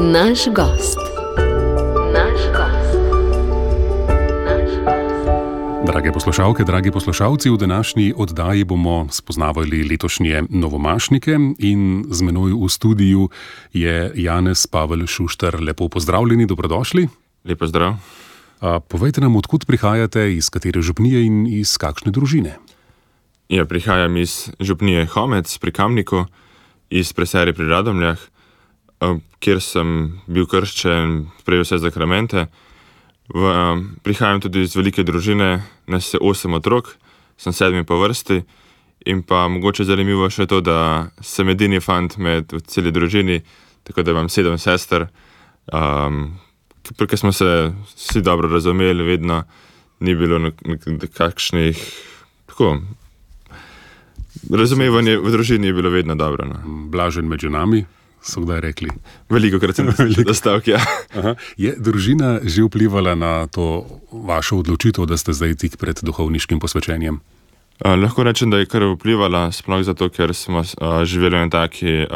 Naš gost. Drage poslušalke, dragi poslušalci, v današnji oddaji bomo spoznavali letošnje novomašnike in z menoj v studiu je Janez Pavel Šuštar. Lepo pozdravljeni, dobrodošli. Lepo zdrav. Povejte nam, odkud prihajate, iz katere župnije in iz kakšne družine? Ja, prihajam iz župnije Homec pri Kamniku, iz Preserje pri Radomljah, kjer sem bil krščen, prejel vse zakramente. Prihajam tudi iz velike družine, nas je 8 otrok, sem 7 po vrsti in pa mogoče zanimivo še to, da sem edini fant v celi družini, tako da imam 7 sester, ker smo se vsi dobro razumeli, vedno ni bilo kakšnih, tako, razumevanje v družini je bilo vedno dobro. No. Blažen med ženami, so kdaj rekli? Velikokrat sem dostavk, ja. Aha. Je družina že vplivala na to vašo odločitev, da ste zdaj tik pred duhovniškim posvečenjem? Lahko rečem, da je kar vplivala, sploh zato, ker smo živeli na takih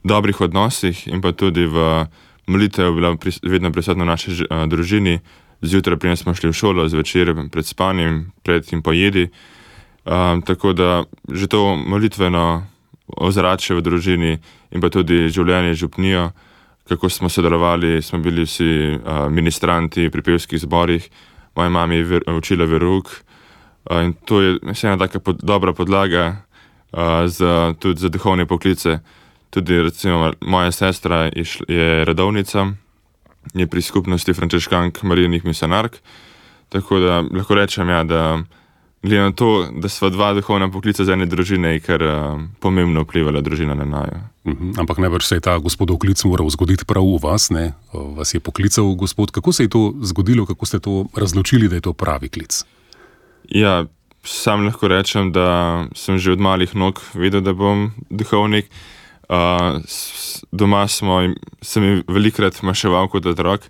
dobrih odnosih in pa tudi v molitev bila vedno prisotna v naši družini. Zjutraj preden smo šli v šolo, zvečer pred spanjem, pred in po jedi. Tako da že to molitveno ozračje v družini in pa tudi življenje župnijo, kako smo sodelovali, smo bili vsi ministranti pri pevskih zborih, moja mama je učila verouk in to je ena taka dobra podlaga tudi za duhovne poklice. Tudi recimo moja sestra je redovnica, je pri skupnosti frančiškank Marijinih misionark, tako da lahko rečem, ja, da glede na to, da sva dva duhovna poklica z ene družine, je kar pomembno vplivala družina na naju. Ampak najbrž se je ta gospodov klic moral zgoditi prav v vas, ne? Vas je poklical gospod. Kako se je to zgodilo, kako ste to razločili, da je to pravi klic? Ja, sam lahko rečem, da sem že od malih nog vedel, da bom duhovnik. Doma sem velikrat maševal kot otrok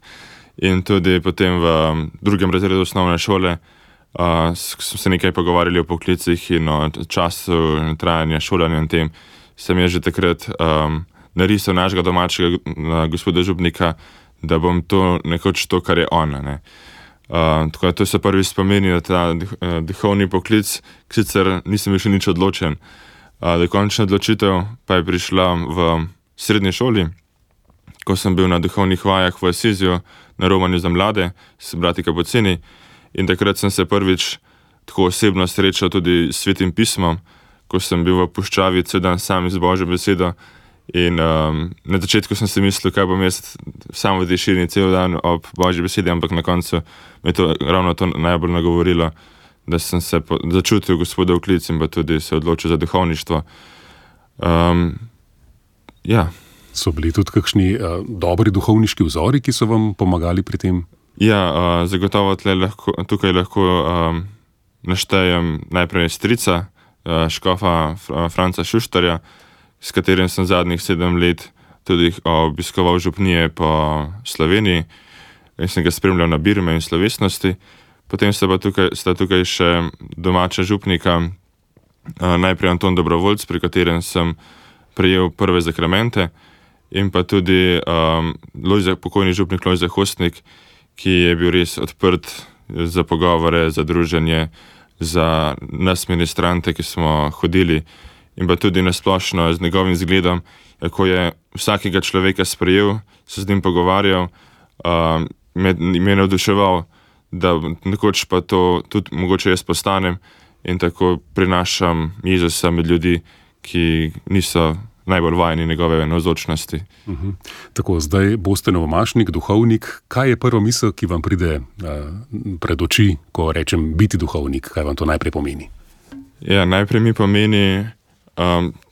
in tudi potem v 2. razredu osnovne šole smo se nekaj pogovarjali o poklicih in o času trajanja šolanja in tem. Sem že takrat narisal našega domačega gospoda župnika, da bom to nekoč to, kar je on. Ne. Tako da to so prvi spomeni na ta duhovni poklic, sicer nisem bil še nič odločen. Dokončna odločitev pa je prišla v srednji šoli, ko sem bil na duhovnih vajah v Asiziju na romanju za mlade s brati Kapucini. In takrat sem se prvič tako osebno srečal tudi s Svetim pismom, ko sem bil v puščavi cel dan sam z Božjo besedo. In na začetku sem si mislil, kaj bom jaz sam v tišini cel dan ob Božji besedi, ampak na koncu me to ravno to najbolj nagovorilo, da sem se začutil gospodov klic in pa tudi se odločil za duhovništvo. Ja. So bili tudi kakšni dobri duhovniški vzori, ki so vam pomagali pri tem? Ja, zagotovo tukaj lahko naštejem najprej strica, škofa Franca Šuštarja, s katerim sem zadnjih 7 let tudi obiskoval župnije po Sloveniji in sem ga spremljal na birme in slovesnosti. Potem sta tukaj še domača župnika, najprej Anton Dobrovoljc, pri katerem sem prejel prve zakramente, in pa tudi pokojni župnik Lojze Hostnik, ki je bil res odprt za pogovore, za druženje, za nas ministrante, ki smo hodili, in pa tudi nasplošno z njegovim zgledom, ko je vsakega človeka sprejel, se z njim pogovarjal, me je navduševal, da nekoč pa to tudi mogoče jaz postanem in tako prinašam Jezusa med ljudi, ki niso najbolj vajeni njegove navzočnosti. Tako, zdaj boste novomašnik, duhovnik. Kaj je prva misel, ki vam pride pred oči, ko rečem biti duhovnik? Kaj vam to najprej pomeni? Ja, najprej mi pomeni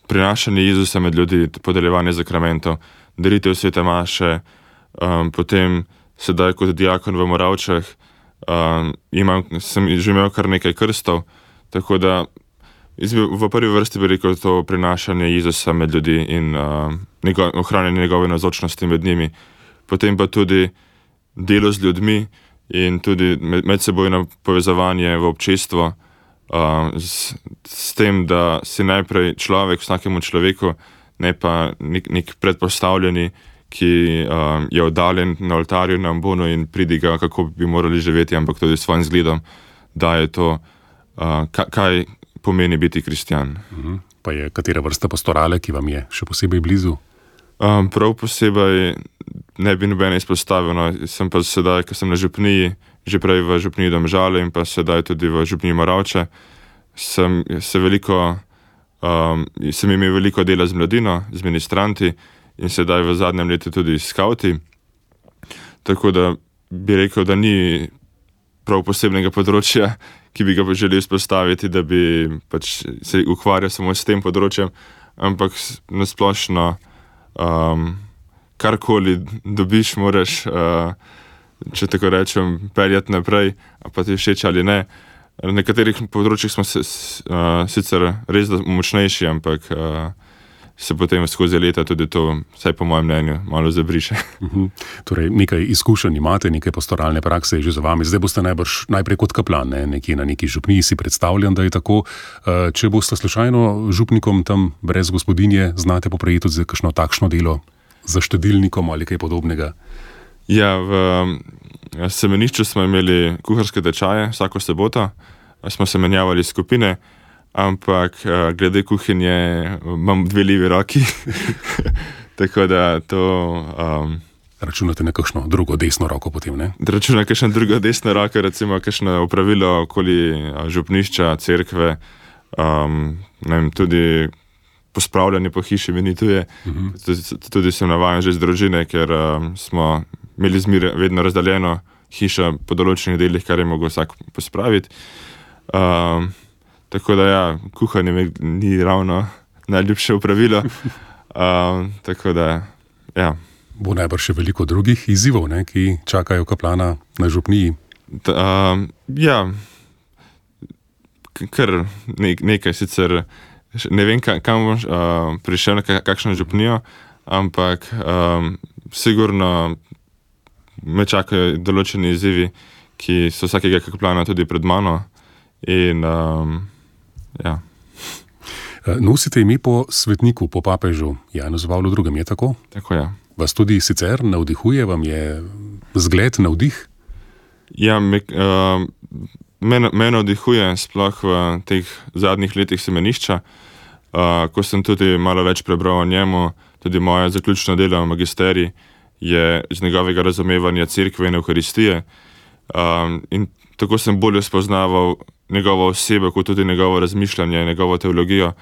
prinašanje Jezusa med ljudi, podeljevanje zakramentov, daritev svete maše, potem sedaj kot diakon v Moravčah sem že imel kar nekaj krstov, tako da v prvi vrsti bi rekel to prinašanje Jezusa med ljudi in ohranjanje njegove navzočnosti med njimi. Potem pa tudi delo z ljudmi in tudi medsebojno povezovanje v občestvo, s tem, da si najprej človek vsakemu človeku, ne pa nek predpostavljeni, ki je oddaljen na oltarju, na ambonu in pridiga, kako bi morali živeti, ampak tudi s svojim zgledom daje to, kaj pomeni biti kristjan. Pa je katera vrsta pastorale, ki vam je še posebej blizu? Prav posebej ne bi nobene izpostavil. No. Sem pa sedaj, ko sem na župniji, že prej v župniji Domžale in pa sedaj tudi v župniji Moravče, sem imel veliko dela z mladino, z ministranti in sedaj v zadnjem letu tudi s skavti. Tako da bi rekel, da ni prav posebnega področja, ki bi ga želel izpostaviti, da bi pač se ukvarjal samo s tem področjem, ampak nasplošno karkoli dobiš, moraš, če tako rečem, peljati naprej, a pa ti všeč ali ne. Na nekaterih področjih smo sicer res močnejši, ampak se potem skozi leta tudi to, vsaj po mojem mnenju, malo zabriše. Torej, nekaj izkušenj imate, nekaj pastoralne prakse je že za vami. Zdaj boste najprej kot kaplan, nekje na neki župniji, si predstavljam, da je tako. Če boste slučajno župnikom tam brez gospodinje, znate poprijeti za kakšno takšno delo za štedilnikom ali kaj podobnega? Ja, v semenišču smo imeli kuharske tečaje vsako soboto, smo se menjavali skupine, ampak glede kuhinje imam 2 levi roki, tako da to... Računate na kakšno drugo desno roko potem, ne? Računam na kakšno drugo desno roko, recimo kakšno opravilo okoli župnišča, cerkve, tudi pospravljanje po hiši mi ni tuje. Tudi sem navajen že z družine, ker smo imeli vedno razdaljeno hišo po določenih delih, kar je mogel vsak pospraviti. Tako da ja, kuhanje ni ravno najljubše opravilo. Tako da, ja. Bo najbrž še veliko drugih izzivov, ne, ki čakajo kaplana na župniji? Ja, kar nekaj sicer. Ne vem, kam bom prišel, na kakšno župnijo, ampak sigurno me čakajo določeni izzivi, ki so vsakega kaplana tudi pred mano. In ja. Nosite ime po svetniku, po papežu Janezu Pavlu II, je tako? Tako, ja. Vas tudi sicer navdihuje, vam je zgled, navdih? Ja, me navdihuje sploh v teh zadnjih letih semenišča, ko sem tudi malo več prebral o njemu, tudi moje zaključno delo magisterij je iz njegovega razumevanja cerkve in Evharistije. In tako sem bolje spoznaval njegovo osebo, kot tudi njegovo razmišljanje, njegovo teologijo.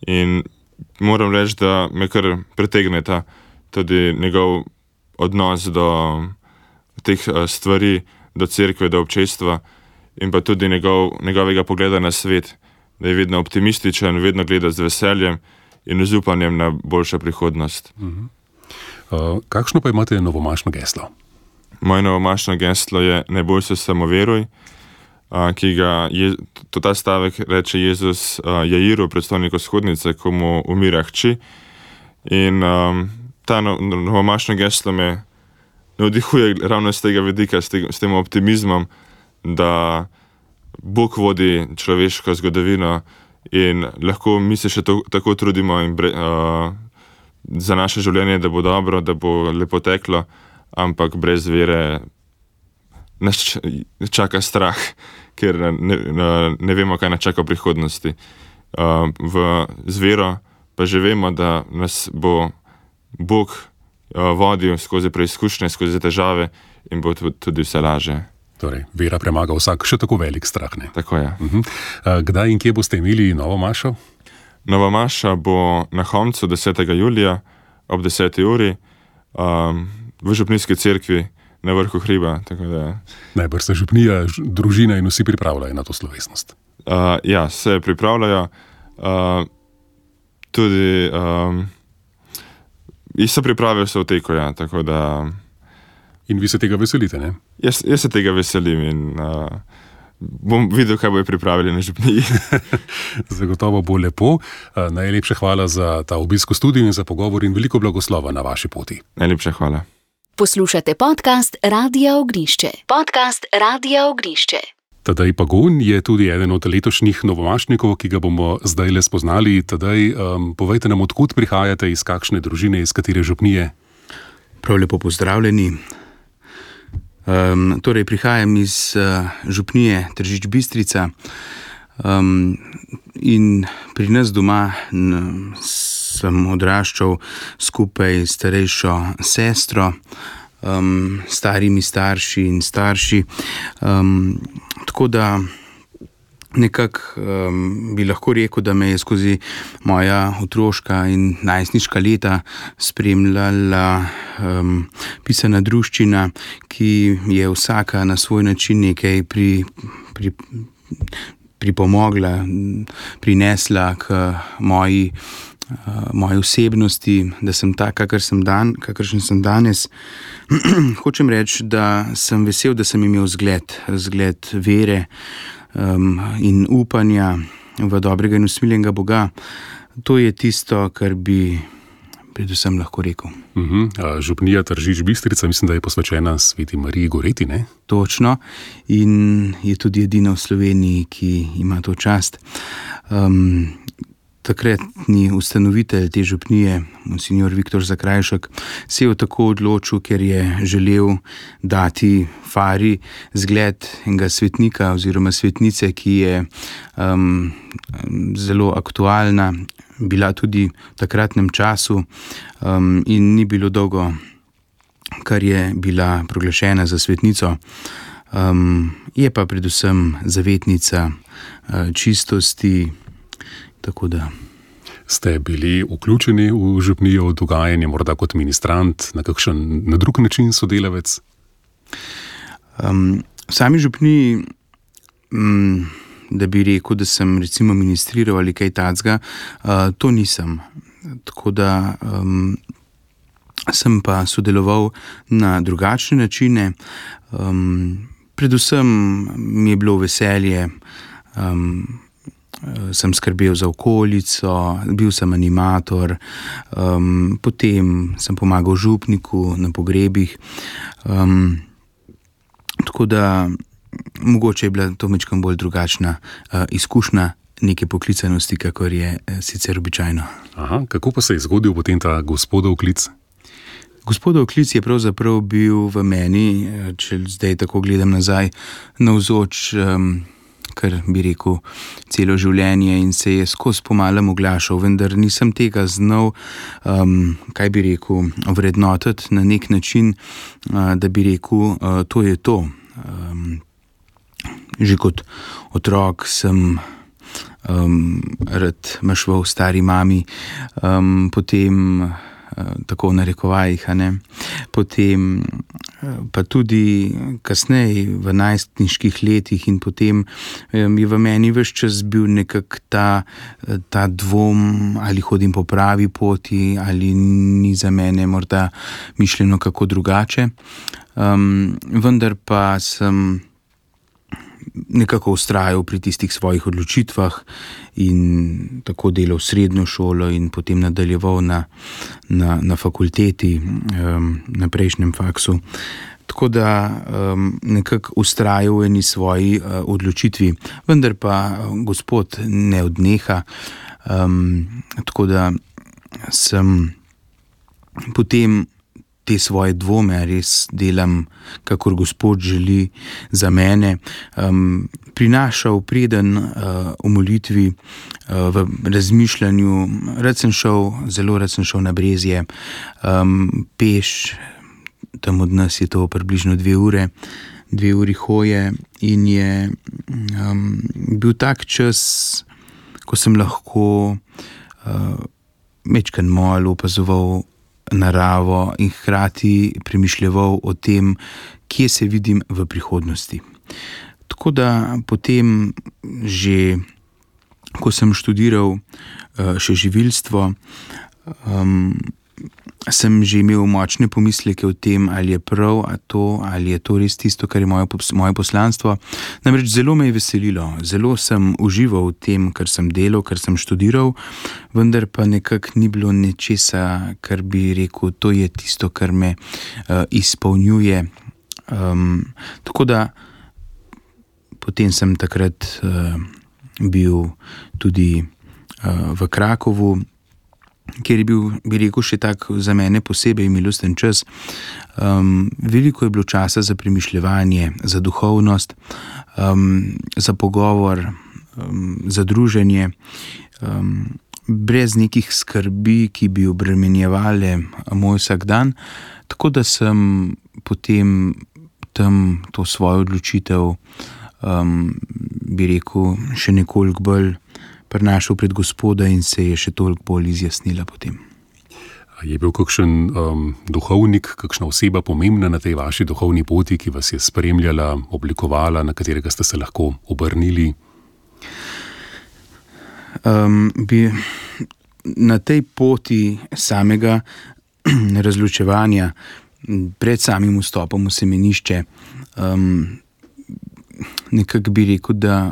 In moram reči, da me kar pritegne tudi njegov odnos do teh stvari, do cerkve, do občestva in pa tudi njegovega pogleda na svet, da je vedno optimističen, vedno gleda z veseljem in z upanjem na boljšo prihodnost. Kakšno pa imate novomašno geslo? Moje novomašno geslo je ne boj se, samo veruj, ki ga ta stavek reče Jezus Jairu, predstojniku shodnice, ko mu umira hči. In ta novomašno geslo me navdihuje ravno z tega vidika, s tem optimizmom, da Bog vodi človeško zgodovino in lahko mi se še tako trudimo za naše življenje, da bo dobro, da bo lepo teklo, ampak brez vere nas čaka strah, ker ne vemo, kaj nas čaka v prihodnosti. Z vero pa že vemo, da nas bo Bog vodil skozi preizkušnje, skozi težave in bo tudi vse laže. Torej, vera premaga vsak še tako velik strah, ne? Tako je. Kdaj in kje boste imeli novo mašo? Nova maša bo na Homcu 10. julija ob 10. uri v župnijski cerkvi na vrhu hriba. Najbrž se župnija, družina in vsi pripravljajo na to slovesnost. Ja, se pripravljajo. Tudi so priprave v teku, ja, tako da... In vi se tega veselite, ne? Jaz se tega veselim in bom videl, kaj bojo pripravili na župniji. Zagotovo bo lepo. Najlepša hvala za ta obisk v studiu in za pogovor in veliko blagoslova na vaši poti. Najlepša hvala. Poslušate podcast Radia Ognišče. Podcast Radia Ognišče. Tadej Pagun je tudi eden od letošnjih novomašnikov, ki ga bomo zdaj le spoznali. Tadej, povejte nam, odkud prihajate, iz kakšne družine, iz katere župnije? Prav lepo pozdravljeni. Torej, prihajam iz župnije Tržič Bistrica in pri nas doma sem odraščal skupaj s starejšo sestro, starimi starši in starši. Tako da nekako bi lahko rekel, da me je skozi moja otroška in najstniška leta spremljala pisana druščina, ki je vsaka na svoj način nekaj pripomogla, prinesla k moji osebnosti, da sem tak, kakršen sem danes. Hočem reči, da sem vesel, da sem imel zgled vere in upanja v dobrega in usmiljenega Boga. To je tisto, kar bi predvsem lahko rekel. Župnija Tržič Bistrica, mislim, da je posvečena Sveti Mariji Goreti, ne? Točno, in je tudi edina v Sloveniji, ki ima to čast. Takratni ustanovitelj te župnije, monsignor Viktor Zakrajšek, se je tako odločil, ker je želel dati Fari zgled enega svetnika oziroma svetnice, ki je zelo aktualna, bila tudi v takratnem času in ni bilo dolgo, kar je bila proglašena za svetnico. Je pa predvsem zavetnica čistosti. Tako da. Ste bili vključeni v župnijo dogajanje, morda kot ministrant, na drug način sodelavec? V sami župniji, da bi rekel, da sem recimo ministriral ali kaj takega, to nisem. Tako da sem pa sodeloval na drugačne načine. Predvsem mi je bilo veselje, sem skrbel za okolico, bil sem animator, potem sem pomagal župniku na pogrebih. Tako da mogoče je bila to majčkeno bolj drugačna izkušnja neke poklicanosti, kakor je sicer običajno. Kako pa se je zgodil potem ta gospodov klic? Gospodov klic je pravzaprav bil v meni, če zdaj tako gledam nazaj, navzoč kar bi rekel celo življenje in se je skozi pomalem oglašal, vendar nisem tega znal, kaj bi rekel, vrednotiti na nek način, da bi rekel, to je to. Že kot otrok sem rad mašval stari mami, potem tako v narekovajih, potem pa tudi kasneje v najstniških letih in potem je v meni ves čas bil nekako ta dvom, ali hodim po pravi poti, ali ni za mene morda mišljeno kako drugače. Vendar pa sem nekako vztrajal pri tistih svojih odločitvah in tako delal srednjo šolo in potem nadaljeval na fakulteti, na prejšnjem faksu. Tako da nekako vztrajal v eni svoji odločitvi, vendar pa Gospod ne odneha, tako da sem potem te svoje dvome res delam, kakor Gospod želi za mene, prinašal preden v molitvi, v razmišljanju. Zelo rad sem šel na Brezje, peš, tam od nas je to približno 2 uri hoje in je bil tak čas, ko sem lahko majčkeno malo opazoval naravo in hkrati premišljeval o tem, kje se vidim v prihodnosti. Tako da potem že, ko sem študiral še živilstvo, sem že imel močne pomisleke o tem, ali je prav ali je to res tisto, kar je moje poslanstvo. Namreč zelo me je veselilo, zelo sem užival v tem, kar sem delal, kar sem študiral, vendar pa nekako ni bilo nečesa, kar bi rekel, to je tisto, kar me izpolnjuje. Tako da potem sem takrat bil tudi v Krakovu kjer je bil, bi rekel, še tak za mene posebej milosten čas. Veliko je bilo časa za premišljevanje, za duhovnost, za pogovor, za druženje, brez nekih skrbi, ki bi obremenjevale moj vsakdan, tako da sem potem tam to svojo odločitev, bi rekel, še nekoliko bolj prinašal pred Gospoda in se je še toliko bolj izjasnila potem. Je bil kakšen duhovnik, kakšna oseba pomembna na tej vaši duhovni poti, ki vas je spremljala, oblikovala, na katerega ste se lahko obrnili? Na tej poti samega razločevanja, pred samim vstopom v semenišče, nekako bi rekel, da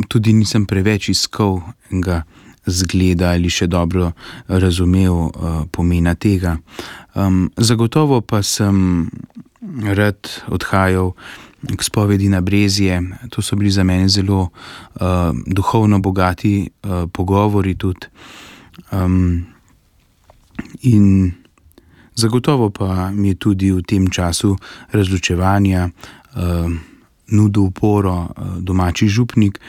tudi nisem preveč iskal enega zgleda ali še dobro razumel pomena tega. Zagotovo pa sem rad odhajal k spovedi na Brezje. To so bili za mene zelo duhovno bogati pogovori tudi. In zagotovo pa mi je tudi v tem času razločevanja nudil oporo domači župnik,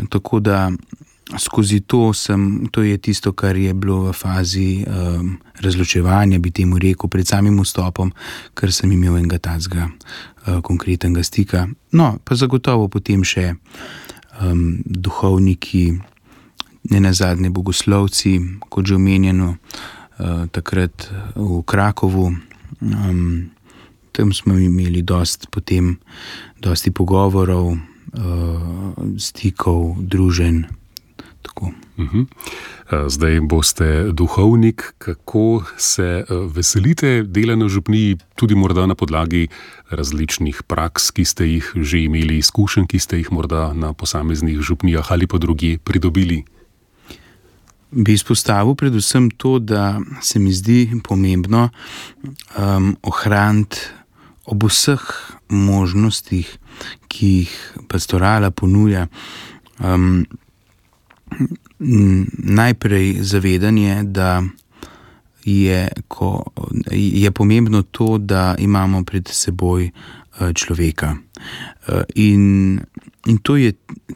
tako da skozi to je tisto, kar je bilo v fazi razločevanja, bi temu rekel, pred samim vstopom, ker sem imel enega tazga konkretnega stika. No, pa zagotovo potem še duhovniki, nenazadnje bogoslovci, kot že omenjeno, takrat v Krakovu. Tam smo imeli dosti pogovorov, stikov, druženj. Tako. Zdaj boste duhovnik. Kako se veselite dela na župniji, tudi morda na podlagi različnih praks, ki ste jih že imeli, izkušenj, ki ste jih morda na posameznih župnijah ali pa drugje pridobili? Bi izpostavil predvsem to, da se mi zdi pomembno ohraniti ob vseh možnostih, ki jih pastorala ponuja, najprej zavedanje, da je pomembno to, da imamo pred seboj človeka. In to je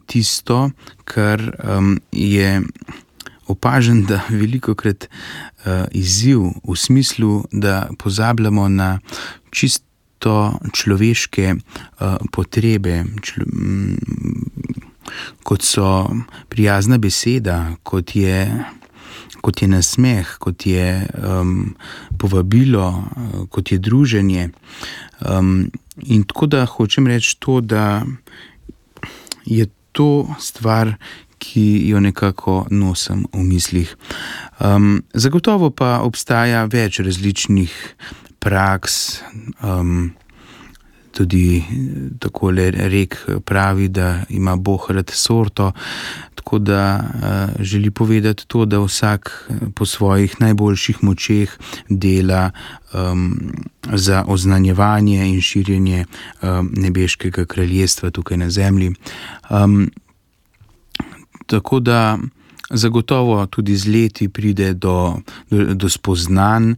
tisto, kar je opažen, da velikokrat izziv v smislu, da pozabljamo na čisto človeške potrebe, kot so prijazna beseda, kot je nasmeh, kot je povabilo, kot je druženje. In tako da hočem reči to, da je to stvar, ki jo nekako nosim v mislih. Zagotovo pa obstaja več različnih praks, tudi takole rek pravi, da ima Bog rad sorto, tako da želi povedati to, da vsak po svojih najboljših močeh dela za oznanjevanje in širjenje nebeškega kraljestva tukaj na zemlji. Tako da zagotovo tudi z leti pride do spoznanj,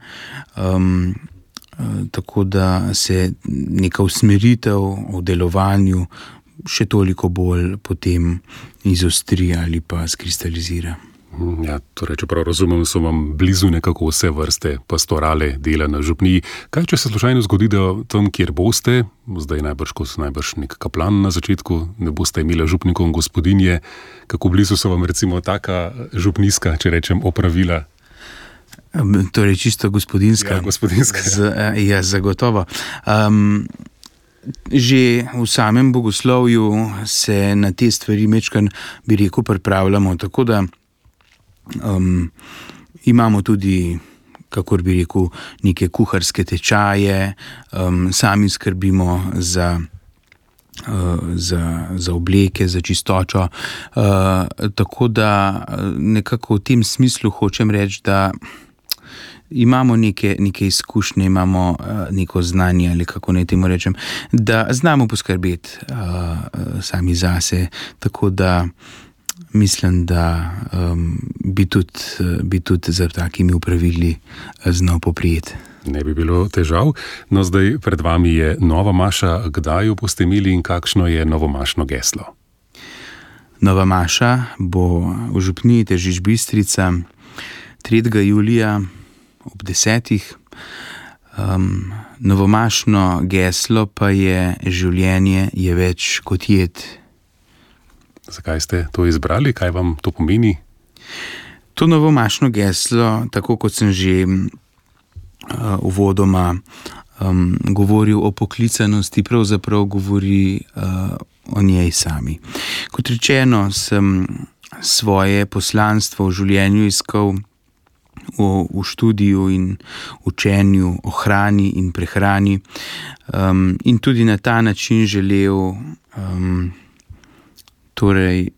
tako da se neka usmeritev v delovanju še toliko bolj potem izostri ali pa skristalizira. Ja, torej, če prav razumem, so vam blizu nekako vse vrste pastorale dela na župniji. Kaj, če se slučajno zgodi, da tam, kjer boste, zdaj najbrž nek kaplan na začetku, ne boste imeli župnikov gospodinje, kako blizu so vam recimo taka župnijska, če rečem, opravila? Torej čisto gospodinska. Ja, gospodinska. Ja, zagotovo. Že v samem bogoslovju se na te stvari mečkan, bi rekel, pripravljamo, tako da imamo tudi, kakor bi rekel, neke kuharske tečaje, sami skrbimo za obleke, za čistočo, tako da nekako v tem smislu hočem reči, da imamo neke izkušnje, imamo neko znanje, ali kako naj temu rečem, da znamo poskrbeti sami zase, tako da mislim, da bi tudi za takimi upravili znal poprijeti. Ne bi bilo težav. No, zdaj pred vami je nova maša. Kdaj jo boste imeli in kakšno je novomašno geslo? Nova maša bo v župniji Tržič Bistrica 3. julija ob 10. Novomašno geslo pa je: življenje je več kot jed. Zakaj ste to izbrali? Kaj vam to pomeni? To novomašno geslo, tako kot sem že uvodoma govoril o poklicanosti, pravzaprav govori o njej sami. Kot rečeno, sem svoje poslanstvo v življenju iskal v študiju in učenju o hrani in prehrani, in tudi na ta način želel torej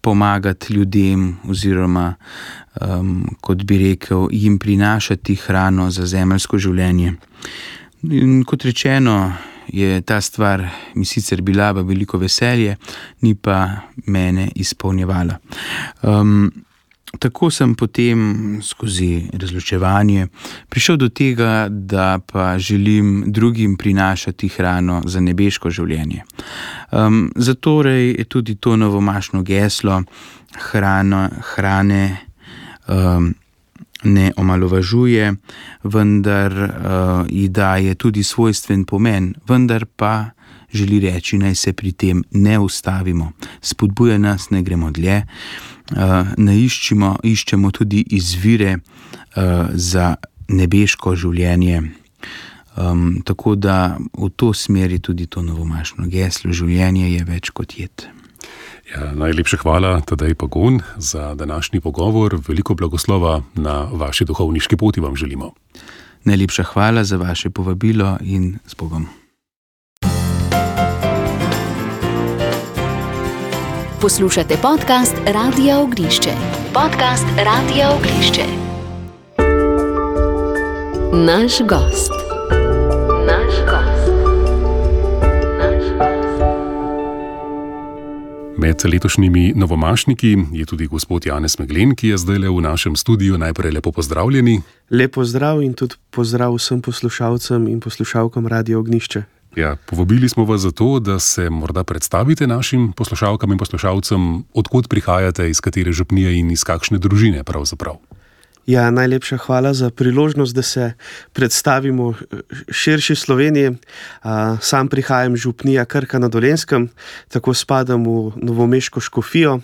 pomagati ljudem oziroma, kot bi rekel, jim prinašati hrano za zemeljsko življenje. In kot rečeno, je ta stvar mi sicer bila v veliko veselje, ni pa mene izpolnjevala. Tako sem potem skozi razločevanje prišel do tega, da pa želim drugim prinašati hrano za nebeško življenje. Zatorej je tudi to novomašno geslo: hrane ne omalovažuje, vendar ji daje tudi svojstven pomen, vendar pa želi reči, naj se pri tem ne ustavimo. Spodbuja nas, naj gremo dlje, iščemo tudi izvire za nebeško življenje. Tako da v to smeri tudi to novomašno geslo: življenje je več kot jed. Ja, najlepša hvala, Tadej Pagon, za današnji pogovor. Veliko blagoslova na vaši duhovniški poti vam želimo. Najlepša hvala za vaše povabilo in z Bogom. Poslušate podcast Radia Ognišče. Podcast Radia Ognišče. Naš gost. Med letošnjimi novomašniki je tudi gospod Janez Meglen, ki je zdajle v našem studiu. Najprej lepo pozdravljeni. Lepo zdrav in tudi pozdrav vsem poslušalcem in poslušalkam Radia Ognišče. Ja, povabili smo vas zato, da se morda predstavite našim poslušalkam in poslušalcem, odkot prihajate, iz katere župnije in iz kakšne družine pravzaprav. Ja, najlepša hvala za priložnost, da se predstavimo širši Sloveniji. Sam prihajam iz župnije Krka na Dolenjskem, tako spadam v novomeško škofijo.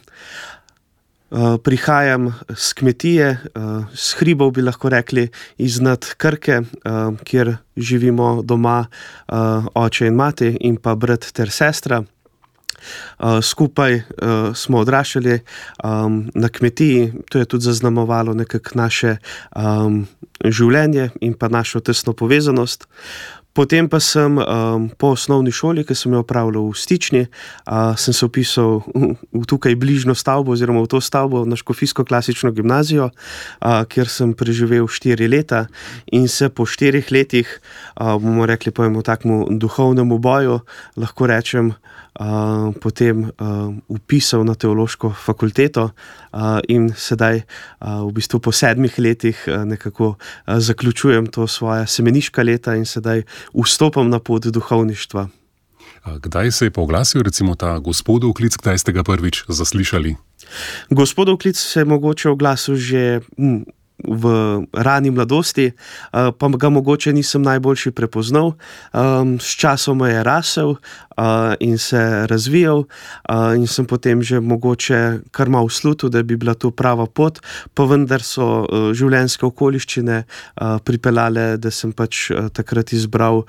Prihajam z kmetije, s hribov bi lahko rekli, iznad Krke, kjer živimo doma oče in mati in pa brat ter sestra. Skupaj smo odraščali na kmetiji, to je tudi zaznamovalo nekako naše življenje in pa našo tesno povezanost. Potem pa sem po osnovni šoli, ki sem jo opravljal v Stični, sem se vpisal v tukaj bližnjo stavbo oziroma v to stavbo na Škofijsko klasično gimnazijo, kjer sem preživel 4 leta in se po 4 letih, bomo rekli po enem takmu duhovnemu boju, lahko rečem, potem vpisal na teološko fakulteto in sedaj v bistvu po 7 letih nekako zaključujem to svoja semeniška leta in sedaj vstopam na pot duhovništva. Kdaj se je pa oglasil recimo ta gospodov klic, kdaj ste ga prvič zaslišali? Gospodov klic se je mogoče oglasil že v rani mladosti, pa ga mogoče nisem najboljši prepoznal. S časom je rasel in se razvijal in sem potem že mogoče kar malo slutil, da bi bila to prava pot, pa vendar so življenjske okoliščine pripeljale, da sem pač takrat izbral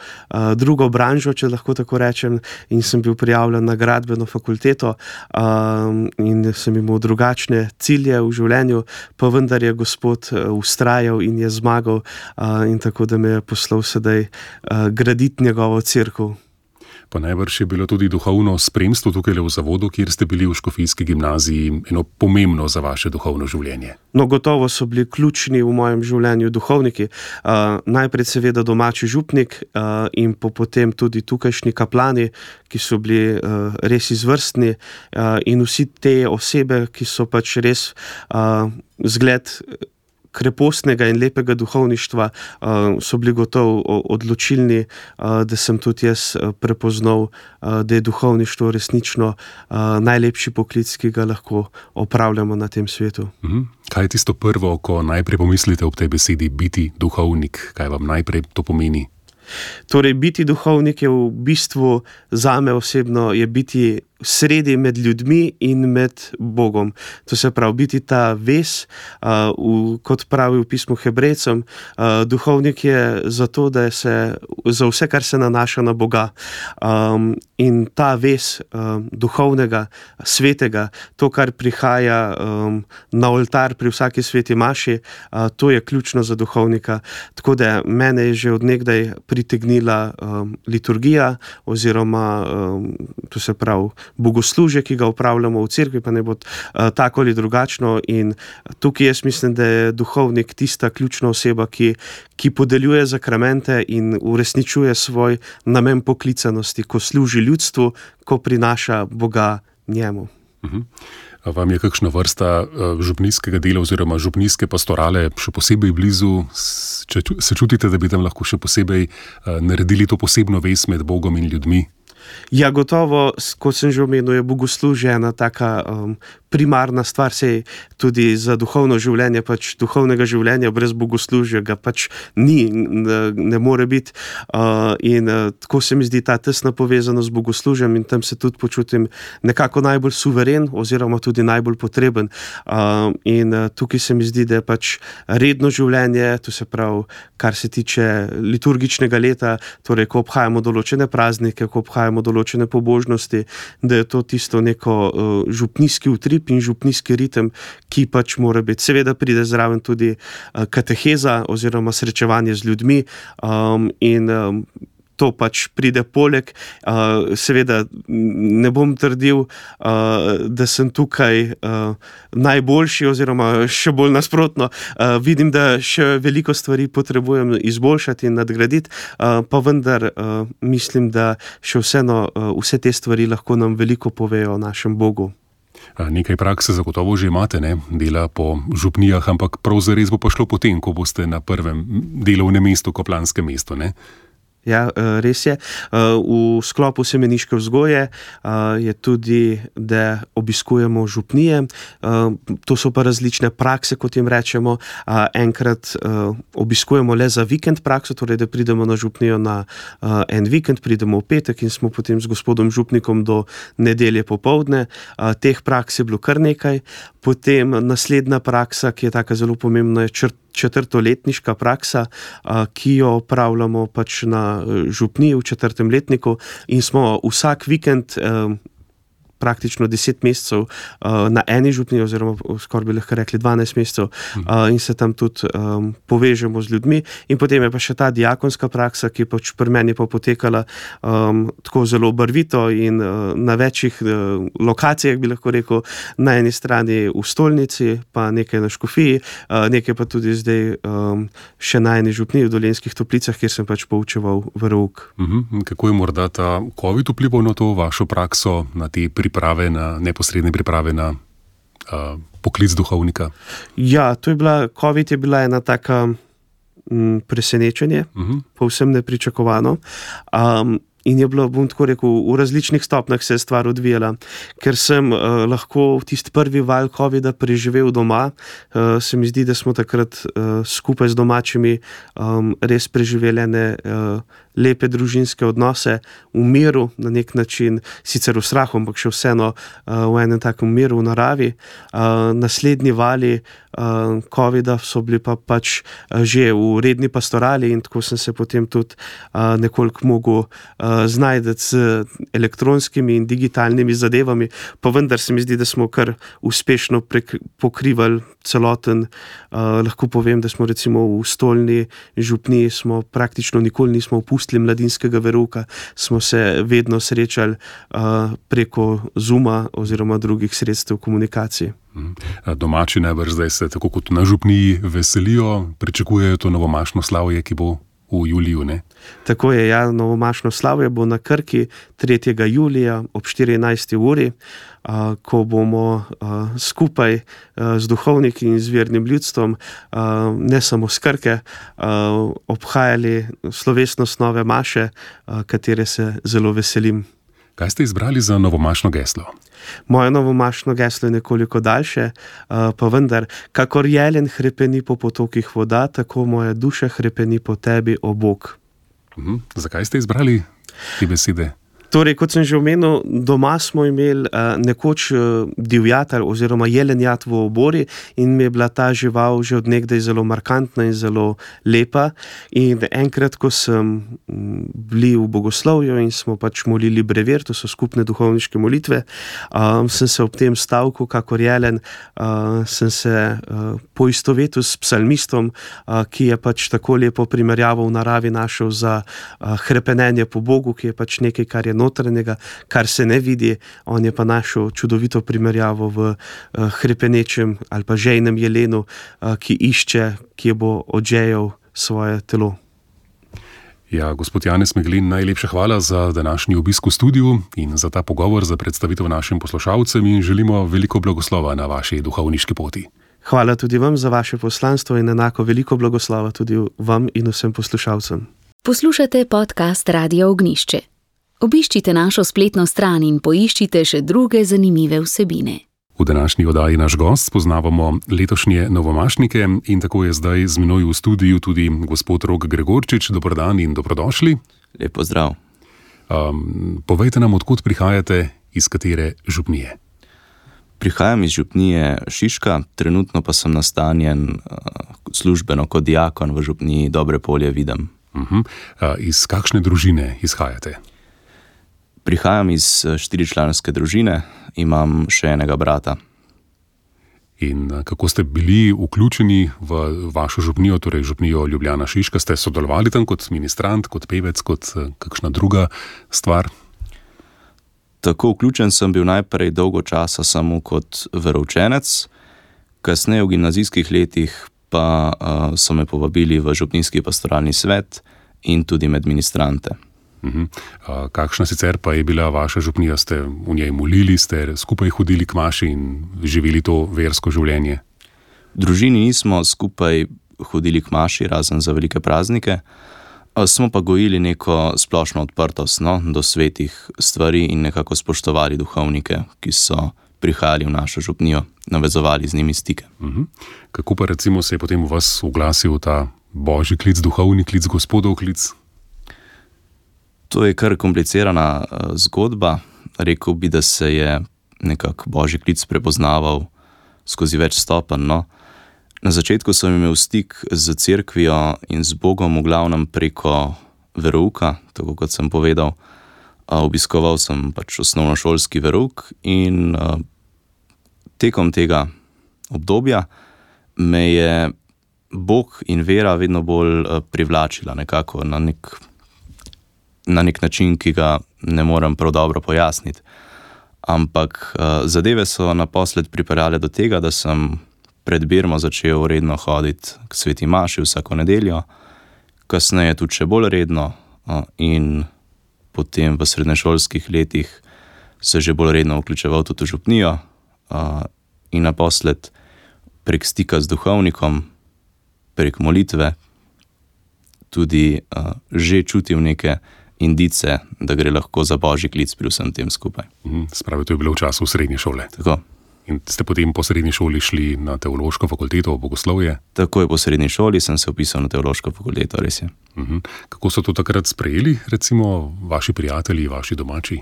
drugo branžo, če lahko tako rečem, in sem bil prijavljen na gradbeno fakulteto in sem imel drugačne cilje v življenju, pa vendar je Gospod vztrajal in je zmagal in tako, da me je poslal sedaj graditi njegovo cerkev. Pa najbrž je bilo tudi duhovno spremstvo tukaj v zavodu, kjer ste bili v Škofijski gimnaziji, eno pomembno za vaše duhovno življenje. No, gotovo so bili ključni v mojem življenju duhovniki. Najprej seveda domači župnik in potem tudi tukajšnji kaplani, ki so bili res izvrstni, in vsi te osebe, ki so pač res zgled krepostnega in lepega duhovništva, so bili gotovo odločilni, da sem tudi jaz prepoznal, da je duhovništvo resnično najlepši poklic, ki ga lahko opravljamo na tem svetu. Kaj je tisto prvo, ko najprej pomislite ob tej besedi biti duhovnik? Kaj vam najprej to pomeni? Torej, biti duhovnik je v bistvu zame osebno je biti sredi med ljudmi in med Bogom. To se pravi, biti ta vez, kot pravi v pismu Hebrejcem, duhovnik je zato, da se za vse, kar se nanaša na Boga. In ta vez duhovnega, svetega, to, kar prihaja na oltar pri vsaki sveti maši, to je ključno za duhovnika. Tako da mene je že od nekdaj pritegnila liturgija oziroma, to se pravi, bogoslužje, ki ga upravljamo v cerkvi, pa ne bo tako ali drugačno, in tukaj jaz mislim, da je duhovnik tista ključna oseba, ki podeljuje zakramente in uresničuje svoj namen poklicanosti, ko služi ljudstvu, ko prinaša Boga njemu. Vam je kakšna vrsta župnijskega dela oziroma župnijske pastorale še posebej blizu? Se čutite, da bi tam lahko še posebej naredili to posebno vez med Bogom in ljudmi? Ja, gotovo, kot sem že omenil, je bogoslužje ena taka primarna stvar, sej tudi za duhovno življenje, pač duhovnega življenja brez bogoslužja ga pač ni, ne more biti, in tako se mi zdi ta tesna povezanost z bogoslužjem in tam se tudi počutim nekako najbolj suveren oziroma tudi najbolj potreben, in tukaj se mi zdi, da je pač redno življenje, to se pravi, kar se tiče liturgičnega leta, torej ko obhajamo določene praznike, ko obhajamo določene pobožnosti, da je to tisto neko župnijski utrip in župnijski ritem, ki pač mora biti. Seveda pride zraven tudi kateheza oziroma srečevanje z ljudmi, in to pač pride poleg. Seveda ne bom trdil, da sem tukaj najboljši oziroma še bolj nasprotno. Vidim, da še veliko stvari potrebujem izboljšati in nadgraditi, pa vendar mislim, da še vseeno vse te stvari lahko nam veliko povejo o našem Bogu. Nekaj prakse zagotovo že imate, ne? Dela po župnijah, ampak prav zares bo pa šlo potem, ko boste na prvem delovnem mestu, kaplanskem mestu, ne? Ja, res je. V sklopu semeniške vzgoje je tudi, da obiskujemo župnije. To so pa različne prakse, kot jim rečemo. Enkrat obiskujemo le za vikend prakso, torej da pridemo na župnijo na en vikend, pridemo v petek in smo potem z gospodom župnikom do nedelje popoldne. Teh praks je bilo kar nekaj. Potem naslednja praksa, ki je taka zelo pomembna, je četrtoletniška praksa, ki jo opravljamo pač na župniji v 4. letniku in smo vsak vikend praktično 10 mesecev na eni župniji, oziroma skoraj bi lahko rekli 12 mesecev, in se tam tudi povežemo z ljudmi. In potem je pa še ta diakonska praksa, ki pač pri meni pa potekala tako zelo barvito in na večjih lokacijah, bi lahko rekel, na eni strani v stolnici, pa nekaj na Škofiji, nekaj pa tudi zdaj še na eni župniji v Dolenjskih Toplicah, kjer sem pač poučeval verouk. Kako je morda ta COVID vplival na to vašo prakso, na te neposredne priprave na poklic duhovnika? Ja, COVID je bila ena taka presenečenje, povsem nepričakovano. In je bilo, bom tako rekel, v različnih stopnjah se je stvar odvijala. Ker sem lahko tisti prvi val COVID-a preživel doma, se mi zdi, da smo takrat skupaj z domačimi res preživeli ene lepe družinske odnose v miru, na nek način, sicer v strahu, ampak še vseeno v enem takem miru v naravi. Naslednji vali COVID-a so bili pa pač že v redni pastorali in tako sem se potem tudi nekoliko mogel znajti z elektronskimi in digitalnimi zadevami, pa vendar se mi zdi, da smo kar uspešno pokrivali celoten, lahko povem, da smo recimo v stolni župniji smo praktično nikoli nismo opustili zapustili mladinskega verouka, smo se vedno srečali preko Zooma oziroma drugih sredstev komunikacije. Domači najbrž zdaj se, tako kot na župniji, veselijo, pričakujejo to novomašno slavje, ki bo v juliju, ne? Tako je, ja, novomašno slavje bo na Krki 3. julija ob 14. uri, ko bomo skupaj z duhovniki in z vernim ljudstvom, ne samo s Krke, obhajali slovesnost nove maše, katere se zelo veselim. Kaj ste izbrali za novomašno geslo? Moje novomašno geslo je nekoliko daljše, pa vendar, kakor jelen hrepeni po potokih voda, tako moja duša hrepeni po tebi, o Bog. Zakaj ste izbrali te besede? Torej, kot sem že omenil, doma smo imeli nekoč divjat oziroma jelenjat v obori in mi je bila ta žival že od nekdaj zelo markantna in zelo lepa. In enkrat, ko sem bili v bogoslovju in smo pač molili brevier, to so skupne duhovniške molitve, sem se ob tem stavku, kakor jelen, sem se poistovetil s psalmistom, ki je pač tako lepo primerjavo v naravi našel za hrepenenje po Bogu, ki je pač nekaj, kar je notranjega, kar se ne vidi. On je pa našel čudovito primerjavo v hrepenečem ali pa žejnem jelenu, ki išče, kje bo odžejal svoje telo. Ja, gospod Janez Meglin, najlepša hvala za današnji obisk v studiu in za ta pogovor, za predstavitev našim poslušalcem in želimo veliko blagoslova na vaši duhovniški poti. Hvala tudi vam za vaše poslanstvo in enako veliko blagoslova tudi vam in vsem poslušalcem. Poslušate podcast Radia Ognišče. Obiščite našo spletno stran in poiščite še druge zanimive vsebine. V današnji oddaji naš gost spoznavamo letošnje novomašnike in tako je zdaj z menoj v studiu tudi gospod Rok Gregorčič. Dober dan in dobrodošli. Lep pozdrav. Povejte nam, odkot prihajate, iz katere župnije? Prihajam iz župnije Šiška, trenutno pa sem nastanjen službeno kot diakon v župniji Dobre Polje Videm. Iz kakšne družine izhajate? Prihajam iz 4-članske družine, imam še enega brata. In kako ste bili vključeni v vašo župnijo, torej župnijo Ljubljana Šiška? Ste sodelovali tam kot ministrant, kot pevec, kot kakšna druga stvar? Tako vključen sem bil najprej dolgo časa samo kot veroučenec, kasneje v gimnazijskih letih pa so me povabili v župnijski pastoralni svet in tudi med ministrante. Kakšna sicer pa je bila vaša župnija? Ste v njej molili, ste skupaj hodili k maši in živeli to versko življenje? V družini nismo skupaj hodili k maši, razen za velike praznike, smo pa gojili neko splošno odprtost do svetih stvari in nekako spoštovali duhovnike, ki so prihajali v našo župnijo, navezovali z njimi stike. Kako pa recimo se je potem v vas uglasil ta božji klic, duhovni klic, gospodov klic? To je kar komplicirana zgodba. Rekel bi, da se je nekako božji klic prepoznaval skozi več stopenj. Na začetku sem imel stik z cerkvijo in z Bogom v glavnem preko verouka, tako kot sem povedal. Obiskoval sem pač osnovnošolski verouk in tekom tega obdobja me je Bog in vera vedno bolj privlačila nekako na nek način, ki ga ne morem prav dobro pojasniti. Ampak zadeve so naposled pripeljale do tega, da sem pred birmo začel redno hoditi k sveti maši vsako nedeljo, kasneje tudi še bolj redno in potem v srednješolskih letih se že bolj redno vključeval tudi v župnijo in naposled prek stika z duhovnikom, prek molitve tudi že čutil neke indice, da gre lahko za božji klic pri vsem tem skupaj. Spravi, to je bilo v času srednje šole. Tako. In ste potem po srednji šoli šli na teološko fakulteto v bogoslovje? Takoj po srednji šoli sem se vpisal na teološko fakulteto, res je. Kako so to takrat sprejeli, recimo, vaši prijatelji, vaši domači?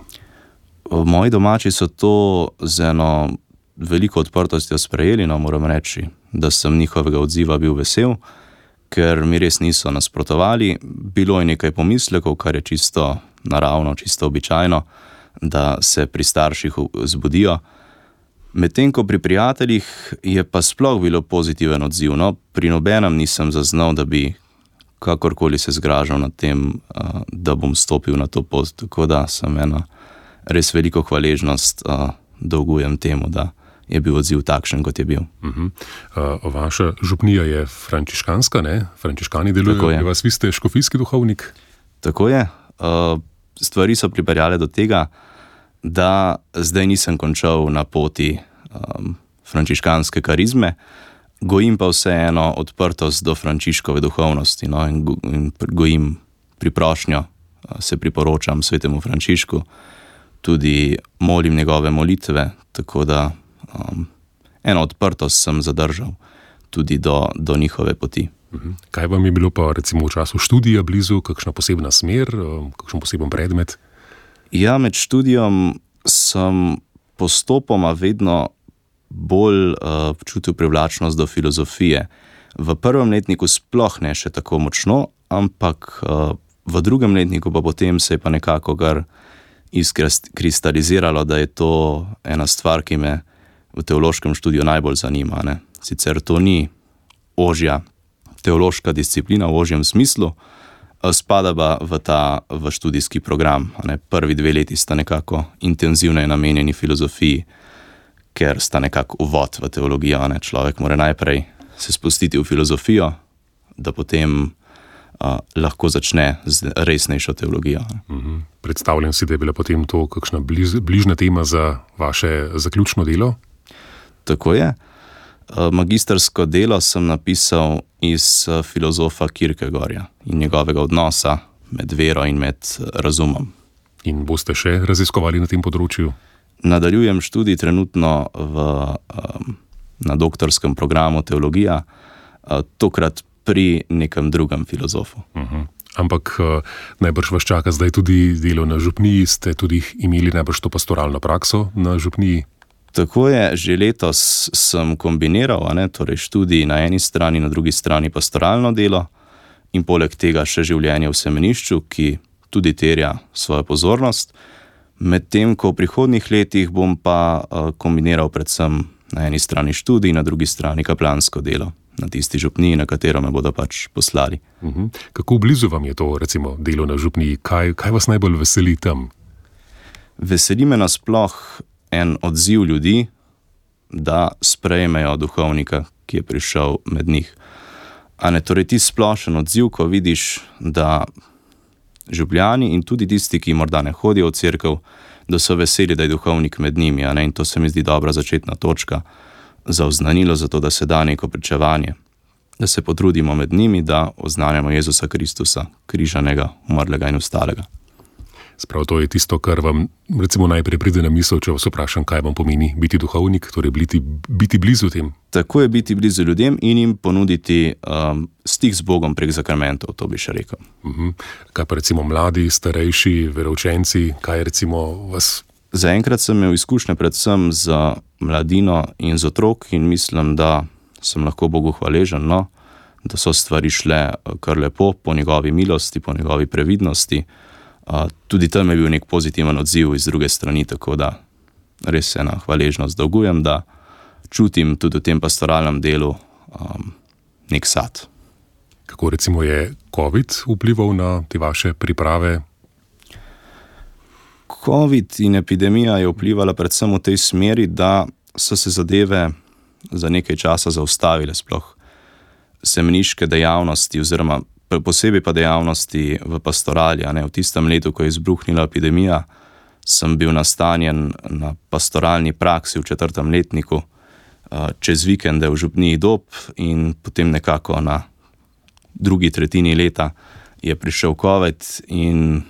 Moji domači so to z eno veliko odprtostjo sprejeli, moram reči, da sem njihovega odziva bil vesel, ker mi res niso nasprotovali. Bilo je nekaj pomislekov, kar je čisto naravno, čisto običajno, da se pri starših zbudijo. Medtem ko pri prijateljih je pa sploh bilo pozitiven odziv. Pri nobenem nisem zaznal, da bi kakorkoli se zgražal nad tem, da bom stopil na to pot. Tako da sem eno res veliko hvaležnost dolgujem temu, da je bil odziv takšen, kot je bil. Vaša župnija je frančiškanska, ne? Frančiškani delujejo pri vas, vi ste škofijski duhovnik? Tako je. Stvari so pripeljale do tega, da zdaj nisem končal na poti frančiškanske karizme, gojim pa vseeno odprtost do Frančiškove duhovnosti, no, in gojim priprošnjo, se priporočam svetemu Frančišku, tudi molim njegove molitve, tako da eno odprtost sem zadržal tudi do njihove poti. Kaj vam je bilo pa recimo v času študija blizu, kakšna posebna smer, kakšen poseben predmet? Ja, med študijom sem postopoma vedno bolj čutil privlačnost do filozofije. V prvem letniku sploh ne še tako močno, ampak v drugem letniku pa potem se je pa nekako kar izkristaliziralo, da je to ena stvar, ki me v teološkem študiju najbolj zanima, ne. Sicer to ni ožja teološka disciplina v ožjem smislu, spada pa v študijski program, ne. Prvi 2 leti sta nekako intenzivno namenjeni filozofiji, ker sta nekako uvod v teologijo, ne. Človek mora najprej se spustiti v filozofijo, da potem lahko začne z resnejšo teologijo. Predstavljam si, da je bila potem to kakšna bližna tema za vaše zaključno delo? Tako je. Magistersko delo sem napisal iz filozofa Kierkegaarda in njegovega odnosa med vero in med razumom. In boste še raziskovali na tem področju? Nadaljujem študij trenutno na doktorskem programu teologija, tokrat pri nekem drugem filozofu. Ampak najbrž vas čaka zdaj tudi delo na župniji, ste tudi imeli najbrž to pastoralno prakso na župniji? Tako je, že letos sem kombiniral, torej študij na eni strani, na drugi strani pastoralno delo in poleg tega še življenje v semenišču, ki tudi terja svojo pozornost. Medtem ko v prihodnjih letih bom pa kombiniral predvsem na eni strani študij, na drugi strani kaplansko delo na tisti župniji, na katero me bodo pač poslali. Kako blizu vam je to, recimo, delo na župniji? Kaj vas najbolj veseli tam? Veseli me nasploh en odziv ljudi, da sprejmejo duhovnika, ki je prišel med njih. Torej ti splošen odziv, ko vidiš, da župljani in tudi tisti, ki morda ne hodijo v cerkev, da so veseli, da je duhovnik med njimi, in to se mi zdi dobra začetna točka za oznanilo, za to, da se da neko pričevanje, da se potrudimo med njimi, da oznanjamo Jezusa Kristusa, križanega, umrlega in vstalega. Sprav to je tisto, kar vam recimo najprej pride na misel, če vas vprašam, kaj vam pomeni biti duhovnik, torej biti blizu tem. Tako je, biti blizu ljudem in jim ponuditi stik z Bogom prek zakramentov, to bi še rekel. Kaj pa recimo mladi, starejši, veroučenci, kaj recimo vas? Zaenkrat sem imel izkušnje predvsem z mladino in z otrok in mislim, da sem lahko Bogu hvaležen, da so stvari šle kar lepo, po njegovi milosti, po njegovi previdnosti. Tudi tam je bil nek pozitiven odziv iz druge strani, tako da res ena hvaležnost dolgujem, da čutim tudi v tem pastoralnem delu nek sad. Kako recimo je COVID vplival na te vaše priprave? COVID in epidemija je vplivala predvsem v tej smeri, da so se zadeve za nekaj časa zaustavile, sploh semeniške dejavnosti oziroma posebej pa dejavnosti v pastorali. V tistem letu, ko je izbruhnila epidemija, sem bil nastanjen na pastoralni praksi v 4. letniku, čez vikende v župniji Dob in potem nekako na drugi tretjini leta je prišel COVID in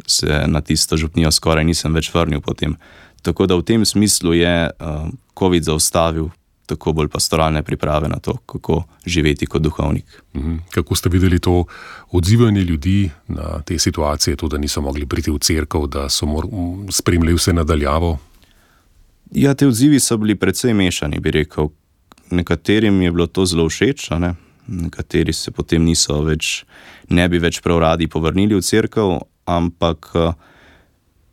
se na tisto župnijo skoraj nisem več vrnil potem. Tako da v tem smislu je COVID zaustavil tako bolj pastoralne priprave na to, kako živeti kot duhovnik. Kako ste videli to odzivanje ljudi na te situacije, to, da niso mogli priti v cerkev, da so spremljali vse nadaljavo? Ja, te odzivi so bili precej mešani, bi rekel. Nekaterim je bilo to zelo všeč, nekateri se potem ne bi več prav radi povrnili v cerkev, ampak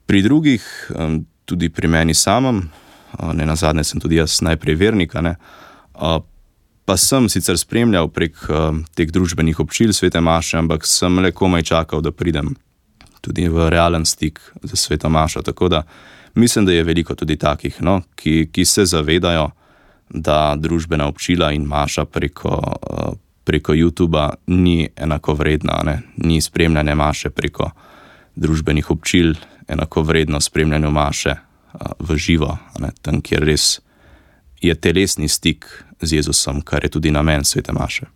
pri drugih, tudi pri meni samem, nenazadnje sem tudi jaz najprej vernik, Pa sem sicer spremljal prek teh družbenih občil svete maše, ampak sem le komaj čakal, da pridem tudi v realen stik z sveto mašo. Tako da mislim, da je veliko tudi takih, no, ki se zavedajo, da družbena občila in maša preko YouTuba ni enakovredna, ne? Ni spremljanje maše preko družbenih občil enakovredno spremljanju maše v živo, ne? Tam, kjer res je telesni stik z Jezusom, kar je tudi namen svete maše.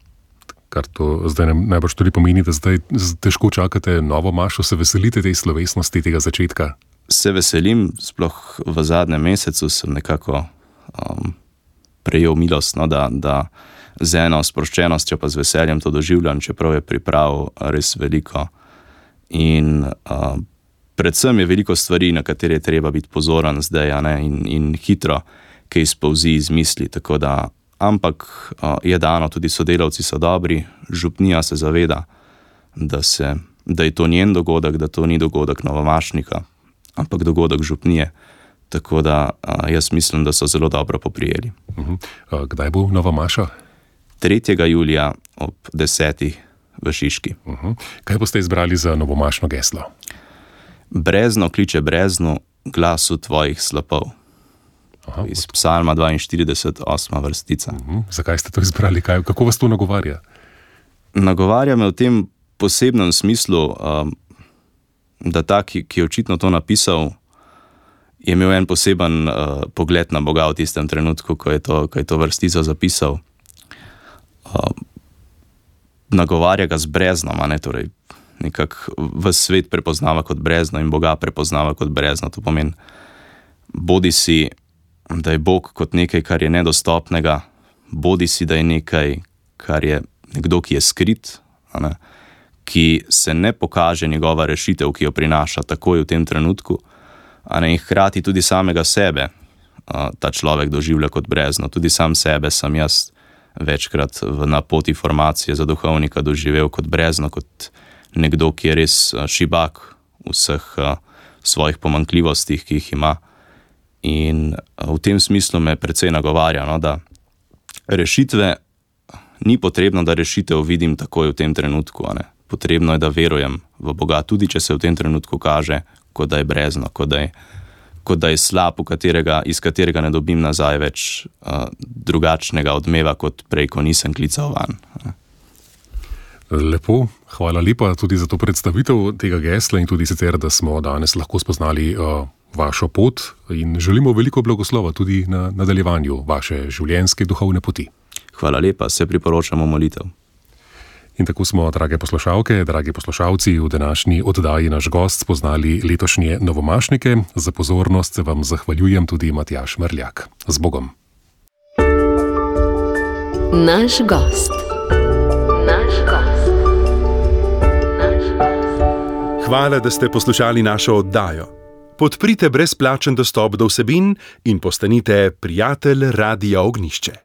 Kar to zdaj najbrž tudi pomeni, da zdaj težko čakate novo mašo, se veselite tej slovesnosti, tega začetka? Se veselim, sploh v zadnjem mesecu sem nekako prejel milost, no, da z eno sproščenostjo pa z veseljem to doživljam, čeprav je priprav res veliko. In predvsem je veliko stvari, na katere je treba biti pozoren zdaj, ne, in hitro, ki izpolzi iz misli, tako da, ampak je dano, tudi sodelavci so dobri, župnija se zaveda, da je to njen dogodek, da to ni dogodek novomašnika, ampak dogodek župnije, tako da jaz mislim, da so zelo dobro poprijeli. Kdaj bo nova maša? 3. julija ob 10. v Šiški. Kaj boste izbrali za novomašno geslo? Brezno kliče breznu, glasu tvojih slapov. Iz Psalma 42, 8. vrstica. Zakaj ste to izbrali? Kako vas to nagovarja? Nagovarja me v tem posebnem smislu, da ta, ki je očitno to napisal, je imel en poseben pogled na Boga v tistem trenutku, ko je to vrstico zapisal. Nagovarja ga z breznom, ne, torej nekako ves svet prepoznava kot brezno in Boga prepoznava kot brezno. To pomeni, bodi si, da je Bog kot nekaj, kar je nedostopnega, bodi si, da je nekaj, kar je nekdo, ki je skrit, ne, ki se ne pokaže njegova rešitev, ki jo prinaša takoj v tem trenutku, ne, in hkrati tudi samega sebe ta človek doživlja kot brezno. Tudi sam sebe sem jaz večkrat na poti formacije za duhovnika doživel kot brezno, kot nekdo, ki je res šibak v vseh svojih pomanjkljivostih, ki jih ima. In v tem smislu me precej nagovarja, no, da rešitve ni potrebno, da rešitev vidim takoj v tem trenutku. Ne. Potrebno je, da verujem v Boga, tudi če se v tem trenutku kaže, kot da je brezno, kot da je slab, iz katerega ne dobim nazaj več drugačnega odmeva, kot prej, ko nisem klical van. Lepo, hvala lepa tudi za to predstavitev tega gesla in tudi sicer, da smo danes lahko spoznali vašo pot in želimo veliko blagoslova tudi na nadaljevanju vaše življenjske duhovne poti. Hvala lepa, se priporočamo molitev. In tako smo, drage poslušalke, dragi poslušalci, v današnji oddaji naš gost spoznali letošnje novomašnike. Za pozornost se vam zahvaljujem tudi Matjaž Mrljak. Z Bogom. Naš gost. Hvala, da ste poslušali našo oddajo. Podprite brezplačen dostop do vsebin in postanite prijatelj Radia Ognjišče.